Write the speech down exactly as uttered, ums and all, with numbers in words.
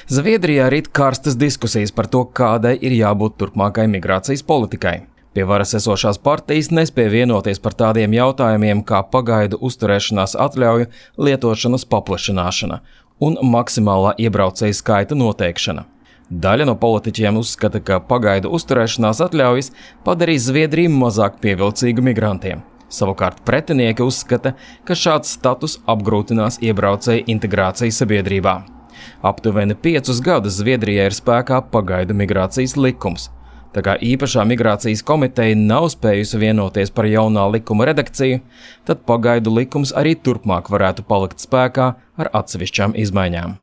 Zviedrijā rit karstas diskusijas par to, kādai ir jābūt turpmākai migrācijas politikai. Pie varas esošās partijas nespēja vienoties par tādiem jautājumiem kā pagaidu uzturēšanās atļauju lietošanas paplašināšana un maksimālā iebraucēju skaita noteikšana. Daļa no politiķiem uzskata, ka pagaidu uzturēšanās atļaujas padarīs Zviedriju mazāk pievilcīgu migrantiem. Savukārt pretinieki uzskata, ka šāds status apgrūtinās iebraucēju integrāciju sabiedrībā. Aptuveni piecus gadus Zviedrijā ir spēkā pagaidu migrācijas likums. Tā kā īpašā migrācijas komiteja nav spējusi vienoties par jaunā likuma redakciju, tad pagaidu likums arī turpmāk varētu palikt spēkā ar atsevišķām izmaiņām.